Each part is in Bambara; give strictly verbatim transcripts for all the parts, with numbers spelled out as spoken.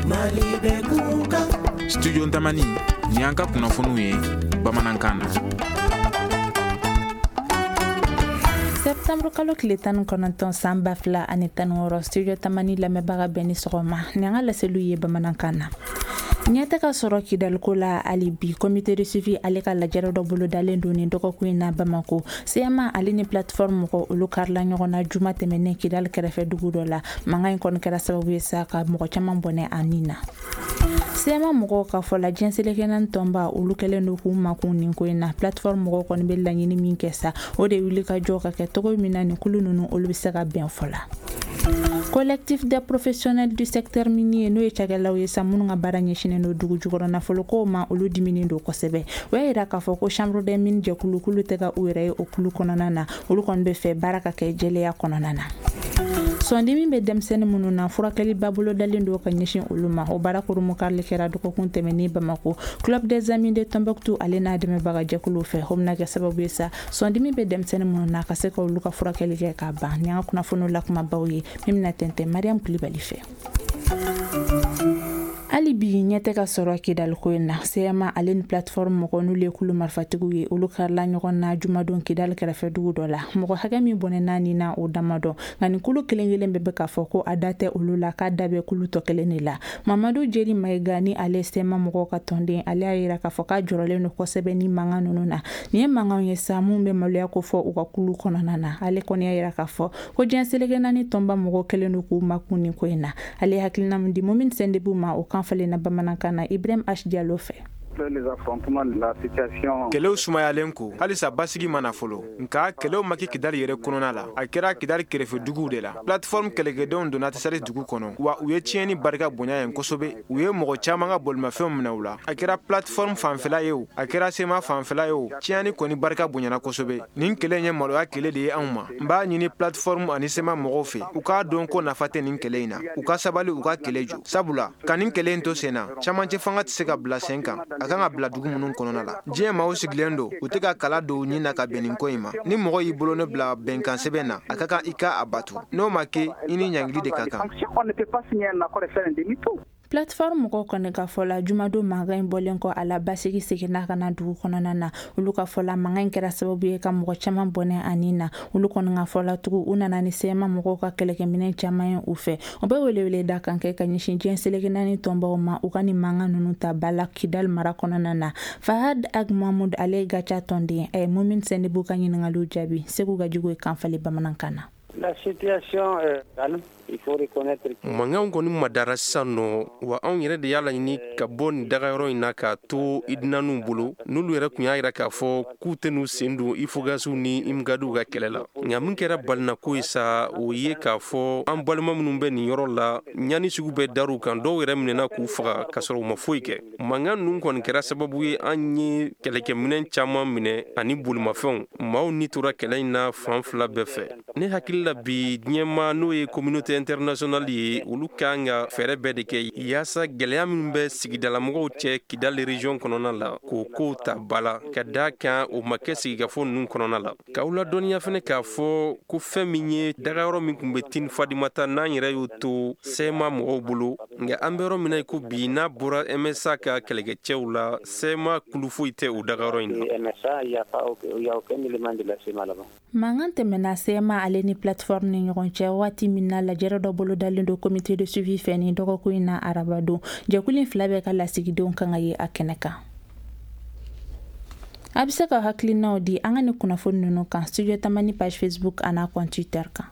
Mali bɛ kunkan. Studio Tamani, ni an ka kunnafoniw ye bamanankan na. Septembre kalo tile tan ni kɔnɔntɔn san ba fila ani tan ni wɔɔrɔ, Studio Tamani lamɛnbaga bɛɛ ni sɔgɔma. Ni an ka laseliw ye bamanankan na. Ɲɛ tɛ ka sɔrɔ Kidaliko la hali bi. Comité de suivi ale ka lajɛrɛ dɔ bolodalen don nin dɔgɔkun in na Bamako. C M A ale ni plateforme mɔgɔ olu karila ɲɔgɔn na juma tɛmɛnen Kidali kɛrɛfɛ dugu dɔ la. Mankan in kɔni kɛra sababu ye sa ka mɔgɔ caman bɔnɛ a nin na. C M A mɔgɔw ka fɔ la, diɲɛ seleke naani tɔnba olu kɛlen don k'u makun nin ko in na. Plateforme mɔgɔw kɔni bɛ laɲini min kɛ sa, o de wuli ka jɔ ka kɛ cogo min na nin kulu ninnu olu bɛ se ka bɛn fɔ la. Collectif des professionnels du secteur minier, n'o ye cakɛlaw ye sa minnu ka baara ɲɛsinnen don dugu jukɔrɔ nafolokow ma, olu diminen don kosɛbɛ. O y'a yira k'a fɔ ko Chambre des mines jɛkulu k'olu tɛ ka u yɛrɛ ye o kulu kɔnɔna na. Olu kɔni bɛ fɛ baara ka kɛ jɛlenya kɔnɔna na. Sɔndimi bɛ denmisɛnnin minnu na, furakɛliba bolodalen don ka ɲɛsin olu ma. O baara kurunbonkarili kɛra dɔgɔkun tɛmɛnen Bamako, Club des Amis de Tombouctou ale n'a dɛmɛbaga jɛkuluw fɛ. O bɛna kɛ sababu ye sa, sɔndimi bɛ denmisɛnnin minnu na, ka se ka olu ka furakɛli kɛ ka ban. Ni an ka kunnafoniw lakumabaw ye min bɛna tɛntɛn Mariam Kulibali fɛ. Hali bi ɲɛ tɛ ka sɔrɔ Kidaliko in na. C M A ale ni plateforme mɔgɔ, n'olu ye kulu marifatigiw ye, olu karila ɲɔgɔn na jumadon Kidali kɛrɛfɛ dugu dɔ la. Mɔgɔ hakɛ min bɔnɛ nin na, o dama dɔn, nka nin kulu kelen kelen bɛɛ bɛ k'a fɔ ko a da tɛ olu la, k'a da bɛ kulu tɔ kelen de la. Mamadu Jeri Mayiga, ni ale C M A mɔgɔw ka tɔnden, ale y'a yira k'a fɔ k'a jɔrɔlen don kosɛbɛ ni mankan ninnu na. Nin ye mankanw ye sa mun bɛ maloya ko fɔ u ka kulu kɔnɔna na. Ale kɔni y'a yira k'a fɔ ko diɲɛ seleke naani tɔnba mɔgɔw kɛlen don k'u makun nin ko in na. Ale ye hakilina min di Momini Sendebu ma, o kan falenna bamanankan na Ibrahim H Diallo fɛ. Kɛlɛw sumayalen ko, halisa basigi ma na fɔlɔ, nka kɛlɛw ma kɛ Kidali yɛrɛ kɔnɔna la, a kɛra Kidali kɛrɛfɛ duguw de la. Plateforme kɛlɛkɛdenw donna Tisari dugu kɔnɔ, wa u ye tiɲɛni barika bonya yen kosɛbɛ. U ye mɔgɔ caman ka bolimafɛnw minɛ u la. A kɛra plateforme fanfɛla ye o, a kɛra C M A fanfɛla ye o, tiɲɛni kɔni barika bonyana kosɛbɛ. Nin kɛlɛ in ye maloya kɛlɛ de ye anw ma. N b'a ɲini plateforme ani C M A mɔgɔw fɛ, u k'a dɔn ko nafa tɛ nin kɛlɛ in na. U ka sabali, u ka kɛlɛ jɔ, sabula ka nin kɛlɛ in to sen na, camancɛ fanga tɛ se ka bila sen kan a kan ka bila dugu minnu kɔnɔna la. Diɲɛ maaw sigilen don, u tɛ ka kala don u ɲin na ka bɛn nin ko in ma. Ni mɔgɔ y'i bolo ne bila bɛnkan sɛbɛn na, a ka kan i ka a batu. N'o ma kɛ, i ni ɲangili de ka kan. Plateforme mɔgɔw kɔni ka fɔ la, jumadon mankan in bɔlen kɔ a la, basigi seginna ka na dugu kɔnɔna na. Olu ka fɔ la, mankan in kɛra sababu ye ka mɔgɔ caman bɔnɛ ani na. Olu kɔni ka fɔ la tugun, u nana ni C M A mɔgɔw ka kɛlɛkɛminɛ caman ye u fɛ. O bɛ welewele da kan kɛ ka ɲɛsin diɲɛ seleke naani tɔnbaw ma, u ka nin mankan ninnu ta ba la Kidali mara kɔnɔna na. Fahad Ag Mahmoud, ale ye Gaca tɔnden, a ye Mumin Sendibu ka ɲiningaliw jaabi. Segu Gajugu ye kan falen bamanankan na. La situation est calme. Il faut reconnaître. Mankanw kɔni madara sisan nɔ, wa anw yɛrɛ de y'a laɲini ka bɔ nin dagayɔrɔ in na k'a to idinaniw bolo, n'olu yɛrɛ tun y'a yira k'a fɔ k'u tɛ n'u sen don Ifogasiw ni Imgadiw ka kɛlɛ la. Nka min kɛra balinako ye sa, o ye k'a fɔ an balima minnu bɛ nin yɔrɔ la, ɲani sugu bɛɛ dar'u kan, dɔw yɛrɛ minɛna k'u faga k'a sɔrɔ u ma foyi kɛ. Mankan ninnu kɔni kɛra sababu ye an ye kɛlɛkɛminɛn caman minɛ ani bolimafɛnw. Maaw ni tora kɛlɛ in na fan fila bɛɛ fɛ. Ne hakili la, bi diɲɛma, n'o ye communauté internationale ye, olu kan ka fɛɛrɛ bɛɛ de kɛ yaasa gɛlɛya minnu bɛ sigidalamɔgɔw cɛ Kidali région kɔnɔna la, k'o kow ta ba la, ka daa kan o ma kɛ sigikafo ninnu kɔnɔna la. K'aw ladɔnniya fɛnɛ k'a fɔ ko fɛn min ye dagayɔrɔ min tun bɛ Tin Fadimata, n'an yɛrɛ y'o to C M A mɔgɔw bolo, nka an bɛ yɔrɔ min na i ko bi, n'a bɔra M S A ka kɛlɛkɛcɛw la, C M A kulu foyi tɛ o dagayɔrɔ in na. M S A, il n'y a pas il y a aucun élément de la C M A là-bas. Mankan tɛmɛna C M A ale ni plateforme ni ɲɔgɔn cɛ waati min na, lajɛrɛ dɔ bolodalen don comité de suivi fɛ nin dɔgɔkun in na arabadon. Jɛkulu in fila bɛɛ ka lasigidenw kan ka ye a kɛnɛ kan. A bɛ se ka hakilinaw di an ka ni kunnafoni ninnu kan Studio Tamani page Facebook an'a compte Twitter kan.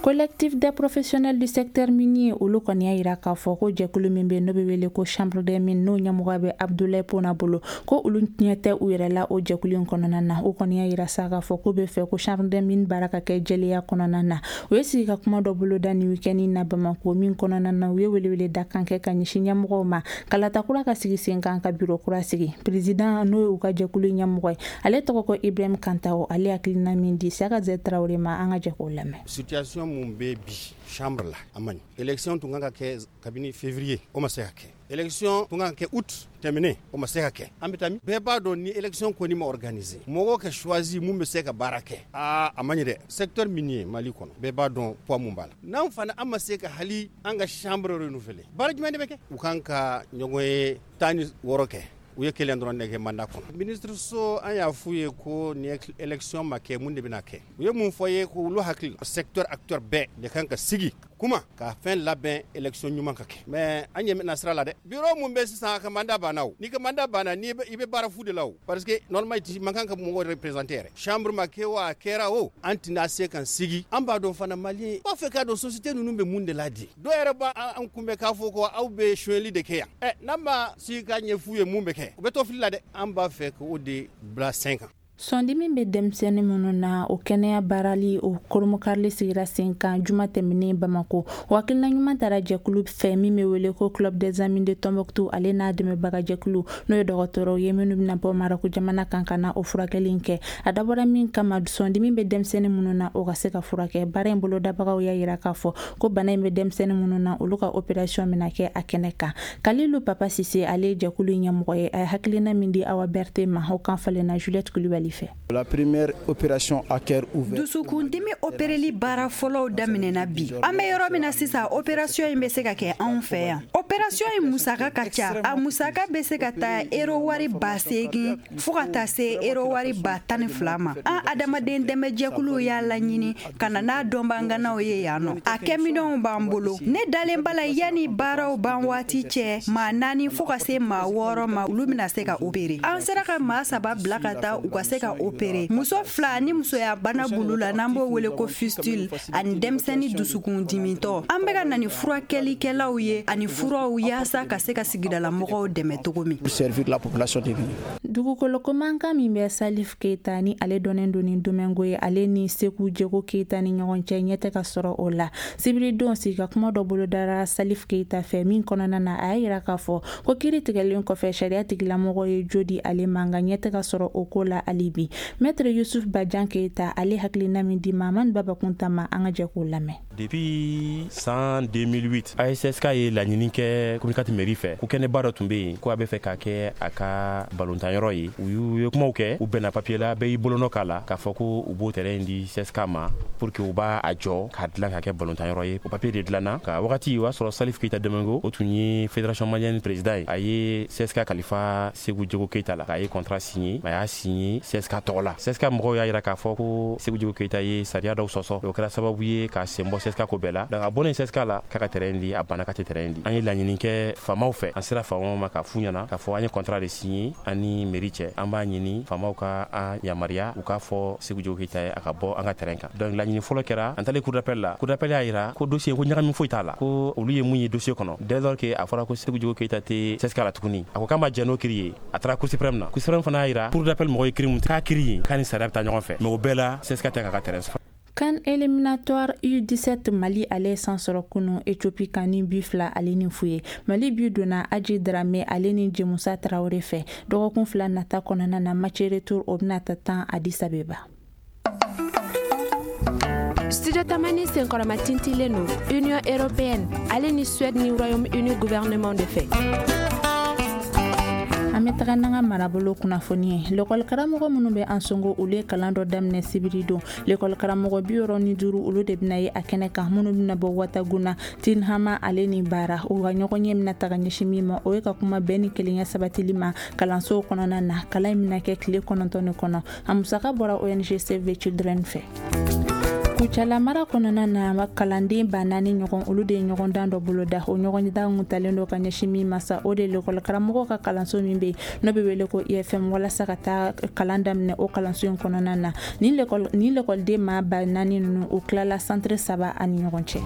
Collectif des professionnels du secteur minier, olu kɔni y'a yira k'a fɔ ko jɛkulu min bɛ, n'o bɛ wele ko Chambre des mines, n'o ɲɛmɔgɔ bɛ Abdoulaye Pona bolo, ko olu ɲɛ tɛ u yɛrɛ la o jɛkulu in kɔnɔna na. O kɔni y'a yira sa k'a fɔ k'u bɛ fɛ ko Chambre des mines baara ka kɛ jɛlenya kɔnɔna na. U ye sigi ka kuma dɔ boloda nin week-end na Bamako, min kɔnɔna na u ye welewele da kan kɛ ka ɲɛsin ɲɛmɔgɔw ma, kalata kura ka sigi sen kan, ka bureau kura sigi. Président, n'o ye u ka jɛkulu ɲɛmɔgɔ ye, ale tɔgɔ ko Ibrahim Kantawo. Ale hakilina min di Saka Zɛ Tarawele ma, an ka jɛ k'o lamɛn. Situation mun bɛ bi chambre la, a man ɲi. Élection tun kan ka kɛ kabini février, o ma se ka kɛ. Élection tun kan ka kɛ août tɛmɛnen, o ma se ka kɛ. An bɛ taa min? Bɛɛ b'a dɔn ni élection kɔni ma organiser, mɔgɔw ka choisi mun bɛ se ka baara kɛ, aa a man ɲi dɛ. Secteur minier Mali kɔnɔ, bɛɛ b'a dɔn poids mun b'a la. N'an fana an ma se ka hali an ka chambre renouveler, baara jumɛn de bɛ kɛ? U kan ka ɲɔgɔn ye tan ni wɔɔrɔ kɛ. U ye kelen dɔrɔn de kɛ mandat kɔnɔ. Ministre so, an y'a f'u ye ko ni élection ma kɛ, mun de bɛna kɛ? U ye mun fɔ ye? Ko olu hakili, secteur acteur bɛɛ de kan ka sigi kuma ka fɛn labɛn, élection ɲuman ka kɛ. Mais an ɲɛ bɛna sira la dɛ. Bureau mun bɛ sisan, a ka mandat banna o. N'i ka mandat banna, ni i bɛ baara fu de la o, parce que normalement i man kan ka mɔgɔw représenter yɛrɛ. Chambre ma kɛ o, a kɛra o, an tɛna se kan sigi. An b'a dɔn fana, malien b'a fɛ k'a dɔn société ninnu bɛ mun de la di. Dɔw yɛrɛ b'a an kunbɛn k'a fɔ ko aw bɛ sonyɛli de kɛ yan. Ɛ, n'an ma sigi ka ɲɛ f'u ye mun bɛ kɛ, u bɛ to fili la dɛ. An b'a fɛ k'o de bila sen kan. Sɔndimi bɛ denmisɛnnin minnu na, o kɛnɛya baarali o koromokarili sigira sen kan juma tɛmɛnen Bamako. O hakilina ɲuman taara jɛkulu fɛ min bɛ wele ko Club des Amis de Tombouctou, ale n'a dɛmɛbaga jɛkulu, n'o ye dɔgɔtɔrɔw ye minnu bɛna bɔ Marɔku jamana kan ka na o furakɛli in kɛ. A dabɔra min kama, sɔndimi bɛ denmisɛnnin minnu na, o ka se ka furakɛ. Baara in bolodabagaw y'a yira k'a fɔ ko bana in bɛ denmisɛnnin minnu na, olu ka opération bɛna kɛ a kɛnɛ kan. Kalilu Papa Sise, ale ye jɛkulu ɲɛmɔgɔ ye. A ye hakilina min di Awa Berte ma, o kan falenna Juliette Kulibali fɛ. La première opération à cœur ouvert. Dusukundimi opéreli baara fɔlɔw daminɛna bi. An bɛ yɔrɔ min na sisan, opération in bɛ se ka kɛ anw fɛ yan. Opération in musaka ka ca. A musaka bɛ se ka taa euro wari ba seegin fo ka taa se euro wari ba tan ni fila ma. An adamaden dɛmɛjɛkuluw y'a laɲini ka na n'a dɔnbaganaw ye yan nɔ. A kɛminɛnw b'an bolo. Ne dalen b'a la, yanni baaraw ban waati cɛ, maa naani fo ka se maa wɔɔrɔ ma, olu bɛna se ka opérer. An sera ka maa saba bila ka taa u ka se ka opérer. Muso fila ni musoya bana bulu la, n'an b'o wele ko fistule, ani denmisɛnnin dusukun dimitɔ. An bɛ ka na ni furakɛlikɛlaw ye ani furaw yaasa ka se ka sigidala mɔgɔw dɛmɛ cogo min. Servir la population de Dugukolo ko mankan min bɛ Salif Keita, ni ale dɔnnen don ni Domingo ye, ale ni Seku Jego Keita ni ɲɔgɔn cɛ, ɲɛ tɛ ka sɔrɔ o la. Sibiridon, sigi ka kuma dɔ bolodara Salif Keita fɛ min kɔnɔna na, a y'a yira k'a fɔ ko kiiri tigɛlen kɔfɛ, sariya tigilamɔgɔ ye jo di ale ma, nka ɲɛ tɛ ka sɔrɔ o ko la hali bi. Maître Yusuf Bajan Keita, ale hakilina min di Mamani Babakunta ma, an ka jɛ k'o lamɛn. Depuis san deux mille huit, A S C S K ye laɲini kɛ commune quatre mairie fɛ ko kɛnɛba dɔ tun bɛ yen, ko a bɛ fɛ k'a kɛ a ka balontanyɔrɔ ye. U y'u ye kumaw kɛ, u bɛnna papier la, bɛɛ y'i bolonɔ k'a la k'a fɔ ko u b'o terrain di C S K ma pour que u b'a a jɔ k'a dilan k'a kɛ balontanyɔrɔ ye. O papier de dilanna ka wagati o y'a sɔrɔ Salif Keita Domingo, o tun ye fédération malienne président ye. A ye C S K kalifa Segu Jego Keita la k'a ye contrat signé. A y'a signé C S K tɔgɔ la. C S K mɔgɔw y'a yira k'a fɔ ko Segu Jego Keita ye sariya dɔw sɔsɔ. O kɛra sababu ye k'a sen bɔ C S K ko bɛɛ la. Donc a bɔlen C S K la, k'a ka terrain di, a banna k'a tɛ terrain di. An ye laɲini kɛ faamaw fɛ. An sera faamaw ma k'a f'u ɲɛna k'a fɔ an ye contrat de signé ani mairie cɛ. An b'a ɲini faamaw ka an yamaruya, u k'a fɔ Segu Jego Keita ye a ka bɔ an ka terrain kan. Donc laɲini fɔlɔ kɛra. An taalen cour d'appel la, cour d'appel y'a yira ko dossier ko ɲagami foyi t'a la, ko olu ye mun ye dossier kɔnɔ, dès lors que a fɔra ko Segu Jego Keita tɛ C S K la tuguni, a ko k'a ma jɛn n'o kiiri ye. A taara cour suprême na. Cour suprême fana y'a yira cour d'appel mɔgɔw ye kiiri mun k'a kiiri ye, k'a ni sariya bɛ taa ɲɔgɔn fɛ. Mais o bɛɛ la, C S K tɛ k'a ka terrain sɔrɔ. CAN éliminatoire U dix-sept, Mali ale san sɔrɔ kunu Ethiopie kan ni bi fila ale ni fu ye. Mali bi donna Aji Drame ale ni Jemusa Traoré fɛ. Dɔgɔkun fila nata kɔnɔna na, match retour o bɛna ta tan Addis Abeba. Studio Tamani senkɔrɔma tintilen don Union européenne ale ni Suède ni Royaume-Uni gouvernement de fɛ. An bɛ taga n'an ka marabolo kunnafoni ye. Lekɔli karamɔgɔ minnu bɛ Ansongo, olu ye kalan dɔ daminɛ sibiri don. Lekɔli karamɔgɔ bi wɔɔrɔ ni duuru, olu de bɛna ye a kɛnɛ kan, minnu bɛna bɔ Wataguna, Tinhama ale ni Baara. U ka ɲɔgɔn ɲɛ bɛna taga ɲɛsin min ma, o ye ka kuma bɛn ni kelenya sabatili ma kalansow kɔnɔna na. Kalan in bɛna kɛ tile kɔnɔntɔn de kɔnɔ. A musaka bɔra O N G Save the Children fɛ. Kucala mara kɔnɔna na, kalanden ba naani ɲɔgɔn, olu de ye ɲɔgɔndan dɔ boloda. O ɲɔgɔndan kun talen don ka ɲɛsin min ma sa, o de ye lekɔli karamɔgɔw ka kalanso min bɛ yen n'o bɛ wele ko I F M, walasa ka taa kalan daminɛ o kalanso in kɔnɔna na. Ni lekɔliden maa ba naani ninnu, u tilala centre saba ani ɲɔgɔn cɛ.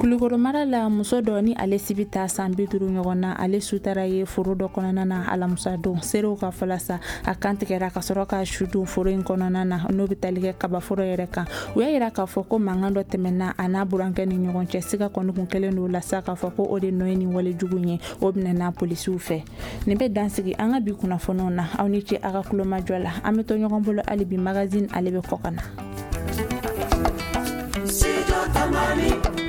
Kulukoro mara la, muso dɔ ni ale si bɛ taa san bi duuru ɲɔgɔn na, ale sutara ye foro dɔ kɔnɔna na alamisa don. Seerew ka fɔla sa, a kan tigɛra ka sɔrɔ ka su dun foro in kɔnɔna na, n'o bɛ tali kɛ kabaforo yɛrɛ kan. U y'a yira k'a fɔ ko mankan dɔ tɛmɛna a n'a burankɛ ni ɲɔgɔn cɛ. Siga kɔni kun kɛlen don la sa k'a fɔ ko o de nɔ ye nin walejugu ye. O minɛna polisiw fɛ. Nin bɛ dansigi an ka bi kunnafoniw na. Aw ni ce a ka kulomajɔ la. An bɛ to ɲɔgɔn bolo hali bi. Magazine ale bɛ kɔ ka na. Tamani.